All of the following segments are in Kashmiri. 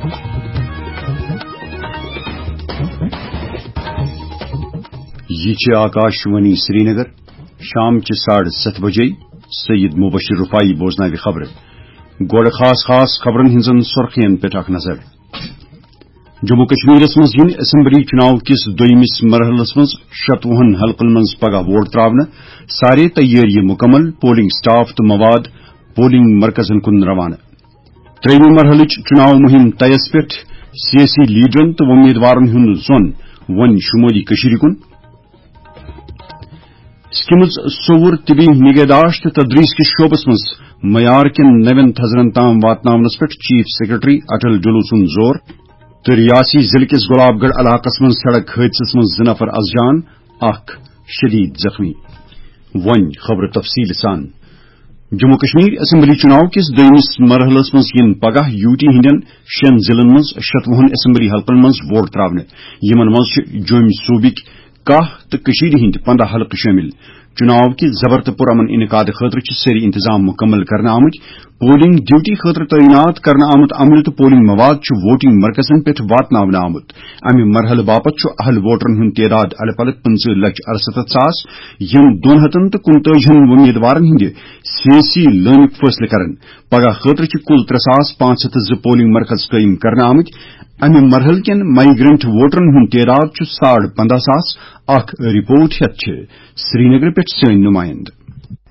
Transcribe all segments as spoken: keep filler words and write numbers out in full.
یہِ چھِ آکاشوانی سرینگر۔ شام چہِ ساڑٕ ستھ بجے سید مبشر رفاعی بوزناوِ خبرٕ۔ گۄڈٕ خاص خاص خبرن ہٕنٛزن سُرخین پٮ۪ٹھ اکھ نظر۔ جموں کشمیرس منٛز یِن اسمبلی چُناو کِس دوٚیمِس مرحلس منٛز شتوُہن حلقن منٛز پگاہ ووٹ تراونہٕ۔ سارے تیٲری مکمل، پولنگ سٹاف تہٕ مواد پولنگ مرکزن کُن روانہٕ۔ ترٛیٚیِمہِ مرحلٕچ چُناو مُہِم طیَس پٮ۪ٹھ، سیٲسی لیڈرن تہٕ وۄمیدوارن ہُنٛد ظۄن وۄنۍ شُمٲلی کٔشیٖرِ کُن۔ سکمز سوٚوُر طبی نگہداشت تہٕ تدریس کِس شعبس منٛز معیار کٮ۪ن نوٮ۪ن تھزرن تام واتناونس پٮ۪ٹھ چیف سیکرٹری اٹل ڈلو سُنٛد زور۔ تہٕ ریاسی ضلعہٕ کِس گۄلاب گڑھ علاقس منٛز سڑک حٲدثس منٛز زٕ نفر از جان، اکھ شدید زخمی۔ وۄنۍ خبرٕ تفصیٖل سان۔ جموں کشمیر اسمبلی چُناو کِس دوٚیمِس مرحلس منٛز یِن پگاہ یوٗ ٹی ہٕنٛدٮ۪ن شٮ۪ن ضلعن منٛز شتوُہن اسمبلی حلقن منٛز ووٹ تراونہٕ۔ یِمن منٛز چھِ جوٚمۍ صوٗبٕکۍ کاہ تہٕ کٔشیٖرِ ہٕنٛدۍ پنٛداہ حلقہٕ شٲمِل۔ چُناو کہِ زبر تہٕ پُرامن انعقاد خٲطرٕ چھِ سٲری انتظام مُکمل کرنہٕ آمٕتۍ۔ پولنگ ڈیوٹی خٲطرٕ تعینات کرنہٕ آمُت عملہٕ تہٕ پولنگ مواد چھُ ووٹنگ مرکزن پٮ۪ٹھ واتناونہٕ آمُت۔ امہِ مرحلہٕ باپتھ چھُ اہل ووٹرن ہُنٛد تعداد الہٕ پلہٕ پٕنٛژٕہ لچھ ارستتھ ساس، یِم دۄن ہتن تہٕ کُنتٲجِہن وۄمیدوارن ہٕنٛدِ سیٲسی لٲنُک فٲصلہٕ کرن۔ پگاہ خٲطرٕ چھِ کُل ترٛےٚ ساس پانٛژھ ہتھ تہٕ زٕ پولنگ مرکز قٲیِم کرنہٕ آمٕتۍ۔ امہِ مرحلہٕ کٮ۪ن مائیگرنٹ ووٹرن ہُنٛد تعداد چھُ ساڑ پنٛداہ ساس۔ اکھ رپورٹ ہٮ۪تھ چھِ سرینگرٕ پٮ۪ٹھ سٲنۍ نُمٲیِنٛدٕ۔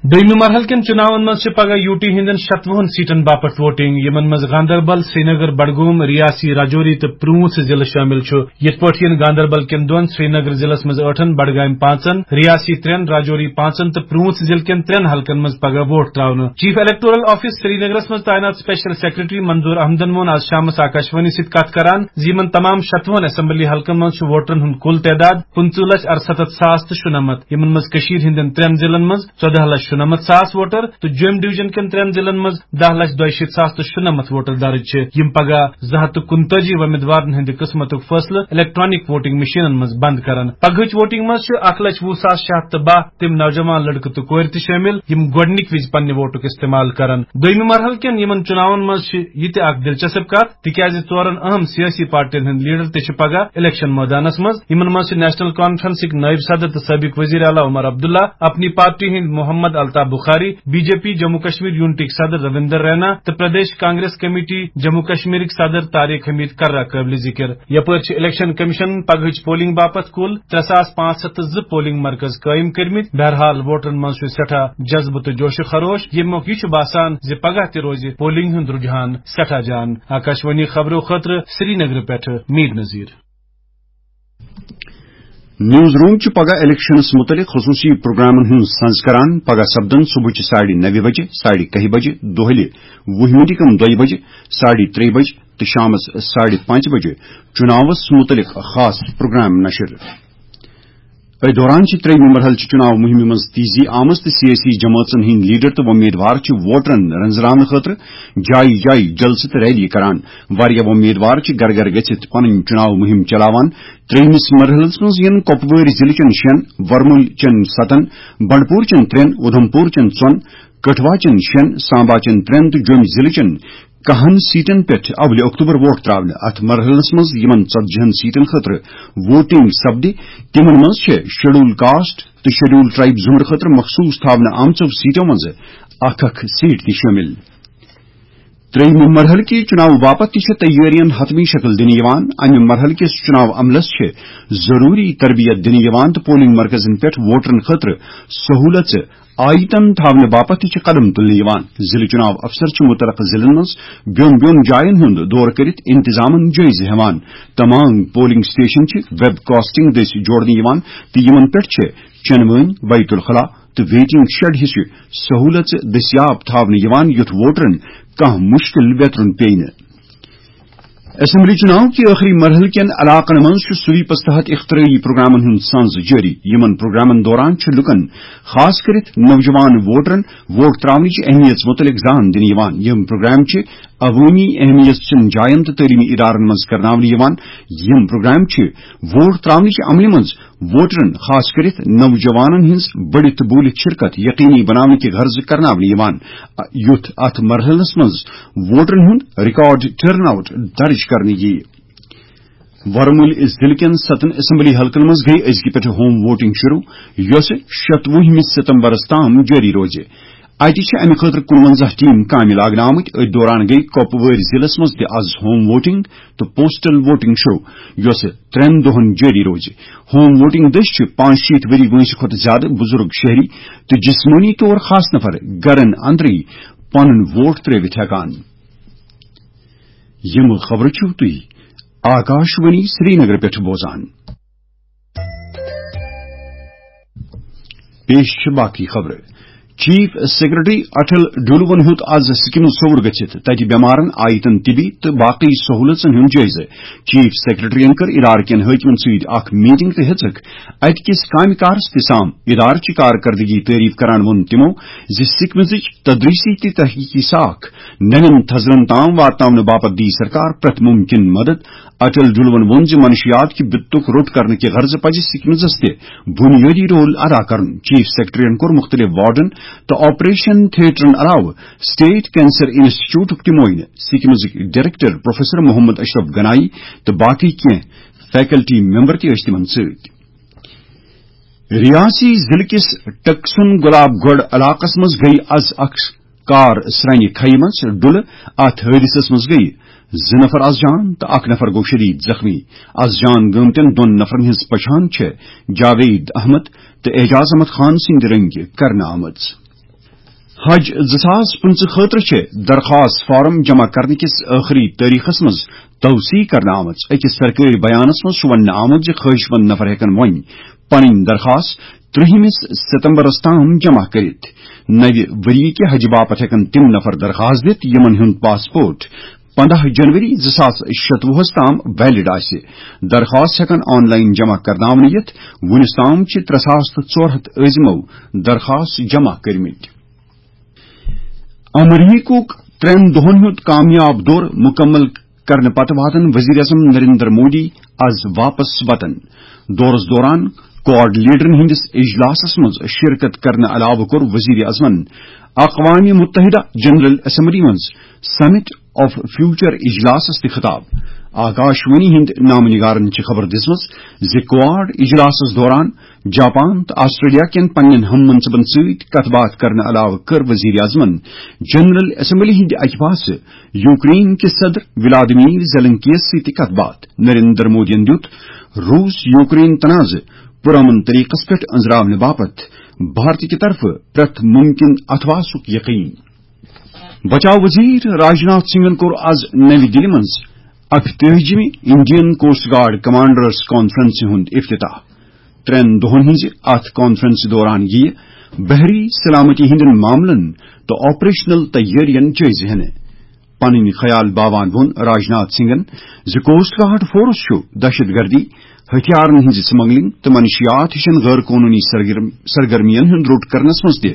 دوٚیمہِ مرحلہٕ کٮ۪ن چُناون منٛز چھِ پگاہ یوٗ ٹی ہٕنٛدٮ۪ن شتوُہن سیٹن باپتھ ووٹنگ، یِمن منٛز گاندربل، سرینگر، بڈگوم، ریاسی راجوری تہٕ پرٛوٗنٛژھ ضلعہٕ شٲمِل چھُ۔ یِتھ پٲٹھۍ یِن گاندربل کٮ۪ن دۄن، سرینگر ضلعس منٛز ٲٹھن، بڈگامہِ پانٛژن، ریاسی ترٛٮ۪ن، راجوری پانٛژن تہٕ پرٛوٗنٛژھ ضلعہٕ کٮ۪ن ترٛٮ۪ن حلقن منٛز پگاہ ووٹ تراونہٕ۔ چیف الیکٹورل آفس سرینگرس منٛز تعینات اسپیشل سیکرٹری منظور احمدن ووٚن آز شامس آکاشوانی سۭتۍ کتھ کران زِ یِمن تمام شتوُہن اسمبلی حلقن منٛز چھُ ووٹرن ہُنٛد کُل تعداد پٕنٛژٕہ لچھ ارستتھ ساس تہٕ شُنمتھ، یِمن منٛز کٔشیٖر ہٕنٛدٮ۪ن ترٛٮ۪ن ضلعن منٛز ژۄدہ لچھ شُنمتھ ساس ووٹر تہٕ جوٚمۍ ڈویژن کٮ۪ن ترٛٮ۪ن ضلعن منٛز دَہ لچھ دۄیہِ شیٖتھ ساس تہٕ شُنمتھ ووٹر درٕج چھِ، یِم پگاہ زٕ ہتھ تہٕ کُنتٲجی وۄمیدوارن ہٕنٛدِ قٕسمتُک فٲصلہٕ الیکٹرانک ووٹنگ مشینن منٛز بند کرن۔ پگہٕچ ووٹنگ منٛز چھِ اکھ لچھ وُہ ساس شےٚ ہتھ تہٕ باہ تِم نوجوان لڑکہٕ تہٕ کورِ تہِ شٲمِل، یِم گۄڈٕنِکۍ وِزِ پننہِ ووٹُک استعمال کرن۔ دوٚیمہِ مرحلہٕ کٮ۪ن یِمن چُناون منٛز چھِ یہِ تہِ اکھ دلچسپ کتھ، تِکیازِ ژورن اہم سیٲسی پارٹین ہٕنٛدۍ لیڈر تہِ چھِ پگاہ الیکشن مٲدانس منٛز۔ یِمن منٛز چھِ نیشنل کانفرنسٕکۍ نٲیِب صدر تہٕ سٲبق وزیر اعلیٰ عمر عبداللہ، اپنی پارٹی ہٕنٛدۍ Mohammad Altaf Bukhari, B J P Jammu Kashmir یونٹٕکۍ صدر رویندر رینا تہٕ پردیش کانگریس کمیٹی جموں کشمیرٕکۍ صدر طارق حمید کرہ قٲبلِ ذِکر۔ یپٲرۍ چھِ الیکشن کمیشنن پگہٕچ پولنگ باپتھ کُل ترٛےٚ ساس پانٛژھ ہتھ تہٕ زٕ پولنگ مرکز قٲیِم کٔرمٕتۍ۔ بہرحال، ووٹرن منٛز چھُ سٮ۪ٹھاہ جذبہٕ تہٕ جوش و خروش، ییٚمیُک یہِ چھُ باسان زِ پگاہ تہِ روزِ پولنگ ہُنٛد رُجحان سٮ۪ٹھاہ جان۔ آکاشوانی خبرو خٲطرٕ سرینگرٕ پٮ۪ٹھٕ میٖر نذیٖر۔ نیوز روم چھُ پگاہ الیکشنس مُتعلق خصوٗصی پروگرامن ہُنٛد سنز کران۔ پگاہ سپدن صبحٕچہِ ساڑِ نَوِ بجہِ، ساڑِ کَہہِ بجہِ، دۄہلہِ وُہہِ مِنٹہِ کم دۄیہِ بجہِ، ساڑِ ترٛیٚیہِ بجہِ تہٕ شامس ساڑِ پانٛژِ بجہِ چُناوس مُتعلق خاص پروگرام نشر۔ أتھۍ دوران چھِ ترٛیٚیِمہِ مرحلہٕ چہِ چُناو مُہِمہِ منٛز تیزی آمٕژ تہٕ سیٲسی جمٲژن ہٕنٛدۍ لیڈر تہٕ وۄمیدوار چھِ ووٹرن رنزراونہٕ خٲطرٕ جایہِ جایہِ جلسہٕ تہٕ ریلی کران۔ واریاہ وۄمیدوار چھِ گرٕ گرٕ گٔژھِتھ پنٕنۍ چُناو مُہِم چلاوان۔ ترٛیٚیِمِس مرحلس منٛز یِن کۄپوٲرۍ ضلعہٕ چٮ۪ن شٮ۪ن، ورمُل چٮ۪ن ستن، بنڈپور چٮ۪ن ترٛٮ۪ن، اُدھمپور چٮ۪ن ژۄن، کٹھوا چٮ۪ن شٮ۪ن، سامبا چٮ۪ن ترٛٮ۪ن تہٕ جوٚمۍ ضلعہٕ چٮ۪ن کاہن سیٹن پٮ۪ٹھ اولہِ اکتوبر ووٹ تراونہٕ۔ اتھ مرحلس منٛز یِمن ژتجی ہن سیٹن خٲطرٕ ووٹنگ سپدِ، تِمن منٛز چھِ شیڈول کاسٹ تہٕ شیڈول ٹرائب زمرٕ خٲطرٕ مخصوص تھاونہٕ آمژو سیٹو منٛز اکھ اکھ سیٹ تہِ شٲمِل۔ ترٛیٚیِمہِ مرحلہٕ کہِ چُناو باپتھ تہِ چھِ تیٲرین حتمی شکل دِنہٕ یِوان۔ امہِ مرحلہٕ کِس چُناو عملس چھِ ضروٗری تربیت دِنہٕ یِوان تہٕ پولنگ مرکزن پٮ۪ٹھ ووٹرن خٲطرٕ سہوٗلژٕ آیتن تھاونہٕ باپتھ تہِ چھِ قدم تُلنہٕ یِوان۔ ضلعہٕ چُناو افسر چھِ مُتعلقہٕ ضلعن منٛز بیوٚن بیوٚن جاین ہُنٛد دورٕ کٔرِتھ انتظامن جٲیزٕ ہٮ۪وان۔ تمام پولنگ سٹیشن چھِ ویب کاسٹنگ دٔسۍ جوڑنہٕ یِوان تہٕ یِمن پٮ۪ٹھ چھِ چٮ۪نہٕ وٲنۍ، بیت الخلا تہٕ ویٹنگ شیڈ ہِش سہوٗلژٕ دٔستیاب تھاونہٕ یِوان، یُتھ ووٹرن کانٛہہ مُشکِل ویترُن پیٚیہِ نہٕ۔ اسمبلی چُناو کہِ ٲخری مرحلہٕ کٮ۪ن علاقن منٛز چھُ سویپس تحت اختراعی پروگرامن ہُنٛد سنز جٲری۔ یِمن پروگرامن دوران چھُ لُکن، خاص کٔرِتھ نوجوان ووٹرن، ووٹ تراونٕچ اہمیت مُتعلق زان دِنہٕ یِوان۔ یِم پروگرام چھِ عوٲمی اہمیت چٮ۪ن جاین تہٕ تعلیمی ادارن منٛز کرناونہٕ یِوان۔ یِم پروگرام چھِ ووٹ تراونٕچ عملہِ منٛز ووٹرن، خاص کٔرِتھ نوجوانن ہٕنٛز بٔڑِتھ تہٕ بوٗلِتھ شرکت یقینی بناونہٕ کہِ غرضہٕ کرناونہٕ یِوان، یُتھ اتھ مرحلس منٛز ووٹرن ہُنٛد ریکارڈ ٹرن آؤٹ درج کرنہٕ یِیہِ۔ ورمُلۍ ضلعہٕ کٮ۪ن ستن اسمبلی حلقن منٛز گٔیہِ أزکہِ پٮ۪ٹھٕ ہوم ووٹنگ شروع، یۄسہٕ شتوُہمہِ ستمبرس تام جٲری روزِ۔ اتہِ چھِ امہِ خٲطرٕ کُنونزہ ٹیم کامہِ لاگنہٕ آمٕتۍ۔ أتھۍ دوران گٔیہِ کۄپوٲرۍ ضلعس منٛز تہِ از ہوم ووٹنگ تہٕ پوسٹل ووٹنگ شروع، یۄسہٕ ترٛٮ۪ن دۄہن جٲری روزِ۔ ہوم ووٹنگ دٔسۍ چھِ پانٛژھ شیٖتھ ؤری وٲنٛسہِ کھۄتہٕ زیادٕ بُزرگ شہری تہٕ جسمٲنی طور خاص نفر گرن اندرٕے پنُن ووٹ ترٲوِتھ ہٮ۪کان۔ یِم خبرٕ چھِو تُہۍ آکاشوانی سرینگر پٮ۪ٹھ بوزان۔ پیش چھِ باقٕے خبرٕ۔ چیف سیکرٹری اٹل ڈولون ہیوٚت از سکمز سوٚوُر گٔژھِتھ تتہِ بٮ۪مارن، آیتن طبی تہٕ باقٕے سہولژن ہُنٛد جٲیزٕ۔ چیف سیکرٹریَن کٔر ادارٕ کٮ۪ن حٲکمن سۭتۍ اکھ میٹنگ تہٕ ہیٚژٕکھ اتہِ کِس کامہِ کارس تہِ سام۔ ادارٕ چہِ کارکردگی تعریف کران ووٚن تِمو زِ سکمزٕچ تدریسی تہٕ تحقیقی ساکھ نوٮ۪ن تھزرن تام واتناونہٕ باپتھ دی سرکار پرٛٮ۪تھ مُمکِن مدد۔ اٹل ڈولون ووٚن زِ منشیات کہِ بِتُک روٚٹ کرنہٕ کہِ غرضہٕ پزِ سکمزس تہِ بنیٲدی رول ادا کرُن۔ چیف سیکرٹریَن کوٚر مُختٔلِف وارڈن تہٕ آپریشن تھیٹرن علاوٕ سٹیٹ کینسر انسٹیٹیوٹُک تہِ معائنہٕ۔ سکمزٕکۍ ڈائریکٹر پروفیسر محمد اشرف گنائی تہٕ باقٕے کینٛہہ فیکلٹی ممبر تہِ ٲسۍ تِمن سۭتۍ۔ ریاسی ضلعہٕ کِس ٹکسُن گۄلاب گڑھ علاقس منٛز گٔیہِ از اکھ کار سرٛنہِ کھیہِ منٛز ڈُلہٕ۔ اتھ حٲدثس منٛز گٔیہِ زٕ نفر از جان تہٕ اکھ نفر گوٚو شدید زخمی۔ از جان گٲمتٮ۪ن دۄن نفرن ہٕنٛز پہچان چھےٚ جاوید احمد تہٕ اعجاز احمد خان سٕنٛدِ رنگہِ کرنہٕ آمٕژ۔ حج زٕ ساس پٕنٛژٕہ خٲطرٕ چھِ درخواست فارم جمع کرنہٕ کِس ٲخری تٲریخس منٛز توسیع کرنہٕ آمٕژ۔ أکِس سرکٲرۍ بیانس منٛز چھُ وننہٕ آمُت زِ خٲہِش مند نفر ہٮ۪کن وۄنۍ پنٕنۍ درخواست ترٛہمِس ستمبرس تام جمع کٔرِتھ۔ نوِ ؤریہِ کہِ حجہِ باپتھ ہٮ۪کن تِم نفر درخواست دِتھ، یِمن ہُنٛد پاسپورٹ پندہ جنوری زٕ ساس شتوُہس تام ویلڈ آسہِ۔ درخواست ہٮ۪کن آن لائن جمع کرناونہٕ یِتھ۔ وُنِس تام چھِ ترٛےٚ ساس تہٕ ژور ہتھ عٲزمو درخواست جمع کٔرمٕتۍ۔ امریکہُک ترٛٮ۪ن دۄہن ہُنٛد کامیاب دورٕ مُکمل کرنہٕ پتہٕ واتن وزیر اعظم نریندر مودی از واپس وطن۔ دورس دوران کوآرڈینیٹرن ہٕنٛدِس اجلاسس منٛز شرکت کرنہٕ علاوٕ کوٚر وزیر اعظمن اقوام متحدہ جنرل اسمبلی منٛز سمٹ آف فیوچر اجلاسس تہِ خطاب۔ آکاشوانی ہٕنٛدۍ نامہ نگارن چھِ خبر دِژمٕژ زِ کوآڈ اجلاسس دوران جاپان تہٕ آسٹریلیا کٮ۪ن پننٮ۪ن ہم منصبن سۭتۍ کتھ باتھ کرنہٕ علاوٕ کٔر وزیر اعظمن جنرل اسمبلی ہٕنٛدِ اکہِ پاسہٕ یوکرین کِس صدر ولادیمیر زیلنسکیَس سۭتۍ تہِ کتھ باتھ۔ نریندر مودیَن دیُت روس یوکرین تنازٕ پرامن طریقس پٮ۪ٹھ أنٛزراونہٕ باپتھ بھارت کہِ طرفہٕ پرٛٮ۪تھ مُمکِن اتھواسُک یقین۔ بچاو وزیر راجناتھ سنگھن کوٚر از نوِ دِلہِ منٛز اکتٲجِمہِ انڈین کوسٹ گارڈ کمانڈرز کانفرنسہِ ہُنٛد افتتاح۔ ترٛٮ۪ن دۄہن ہٕنٛزِ اتھ کانفرنسہِ دوران یِیہِ بحری سلامتی ہٕنٛدٮ۪ن معاملن تہٕ آپریشنل تیٲرین جٲیزٕ ہٮ۪نہٕ۔ پنٕنۍ خیال باوان ووٚن راجناتھ سنگھن زِ کوسٹ گارڈ فورس چھُ دہشت گردی، ہتھیارن ہٕنٛزِ سمگلنگ تہٕ منشیات ہِشن غٲر قونوٗنی سرگرم-، سرگرمین ہُنٛد روٚٹ کرنس منٛز تہِ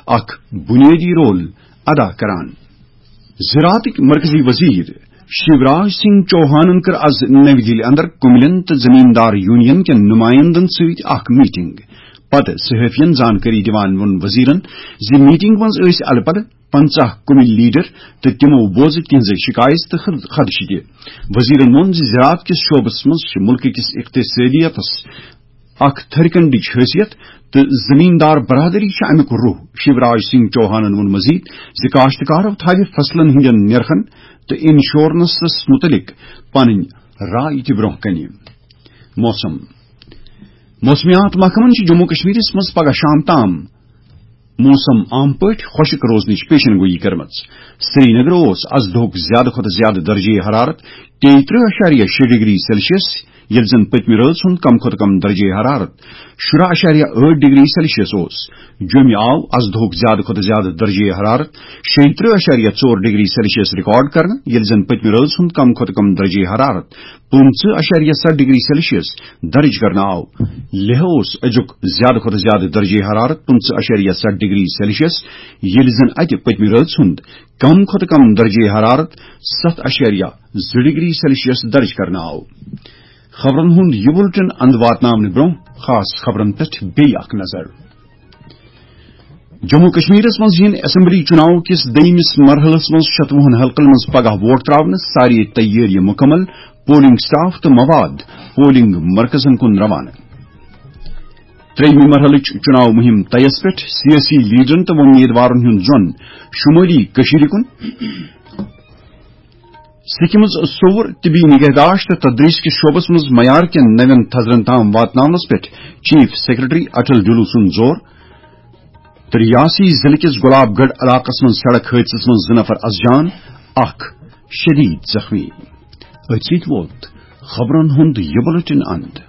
اکھ بنیٲدی رول ادا کران۔ زراعتٕکۍ مرکزی وزیر شیوراج سنگھ چوہانن کٔر از نوِ دِلہِ اندر کُملٮ۪ن تہٕ زمیٖندار یونین کٮ۪ن نُمایندن سۭتۍ اکھ میٹنگ۔ پتہٕ صحافین زانکٲری دِوان ووٚن وزیرن زِ میٹنگ منٛز ٲسۍ الہٕ پلہٕ پنژاہ کُمِلۍ لیڈر تہٕ تِمو بوزٕ تِہنٛزٕ شکایژٕ تہٕ خد-، خدشہٕ تہِ۔ وزیرن ووٚن زِ زراعت کِس شعبس منٛز چھِ مُلکہٕ کِس اقتصٲدیتس اکھ تھٔرۍ کنڈٕچ حیثیت تہٕ زمیٖندار برادری چھِ امیُک روح۔ شیوراج سنگھ چوہانن ووٚن مزید زِ کاشتکارو تھاوِ فصلن ہٕنٛدٮ۪ن نرخن تہٕ انشورنسس مُتعلق پنٕنۍ راے تہِ برٛونٛہہ کنہِ۔ موسم۔ موسمیات محکمن چھِ جموں کشمیرس منٛز پگہہ شام تام موسم عام پٲٹھۍ خۄشک روزنٕچ پیشن گویی کٔرمٕژ۔ سرینگر اوس از دۄہُک زیادٕ کھۄتہٕ زیادٕ درجہ حرارت تیٚیہِ ترٕٛہ اَشاریہ شےٚ ڈگری سیلسیس ییٚلہِ زن پٔتمہِ رٲژ ہُنٛد کم کھۄتہٕ کم درجے حرارت شُراہ اَشاریہ ٲٹھ ڈگری سیلسیس اوس۔ جوٚمہِ آو از دۄہُک زیادٕ کھۄتہٕ زیادٕ درجے حرارت شیٚیہِ ترٕٛہ اَشاریہ ژور ڈگری سیلسیس ریکارڈ کرنہٕ، ییٚلہِ زن پٔتمہِ رٲژ ہُنٛد کم کھۄتہٕ کم درجے حرارت پٕنٛژٕہ اَشاریہ ستھ ڈگری سیلسیس درج کرنہٕ آو۔ لیہہ اوس أزیُک زیادٕ کھۄتہٕ زیادٕ درجے حرارت پٕنٛژٕہ اَشاریہ ستھ ڈگری سیلسیس، ییٚلہِ زن اتہِ پٔتمہِ رٲژ ہُنٛد کم کھۄتہٕ کم درجے حرارت ستھ اَشاریہ زٕ ڈگری سیلسیس درج کرنہٕ آو۔ خبرن ہُنٛد یہِ بُلٹن اند واتناونہٕ برٛونٛہہ خاص خبرن پٮ۪ٹھ بیٚیہِ اکھ نظر۔ جموں کشمیرس منٛز یِن اسمبلی چُناو کِس دوٚیمِس مرحلس منٛز شتوُہن حلقن منٛز پگاہ ووٹ تراونہٕ، سارے تیٲری مکمل، پولنگ سٹاف تہٕ مواد پولنگ مرکزن کُن روانہٕ۔ ترٛیٚیِمہِ مرحلٕچ چُناو مُہِم طیَس پٮ۪ٹھ، سیٲسی لیڈرن تہٕ وۄمیدوارن ہُنٛد زۄن شُمٲلی کٔشیٖرِ کُن۔ سکمز صوٚوُر، طبی نگہداشت تہٕ تدریس کِس شعبس منٛز معیار کٮ۪ن نوٮ۪ن تھزرن تام واتناونس پٮ۪ٹھ چیف سیکرٹری اٹل ڈلو سُنٛد زور۔ تہٕ ریاسی ضلعہٕ کِس گلاب گڑھ علاقس منٛز سڑک حٲدثس منٛز زٕ نفر از جان، اکھ شدید زخمی۔ أتھۍ سۭتۍ ووت خبرن ہُنٛد یہِ بُلٹن اند۔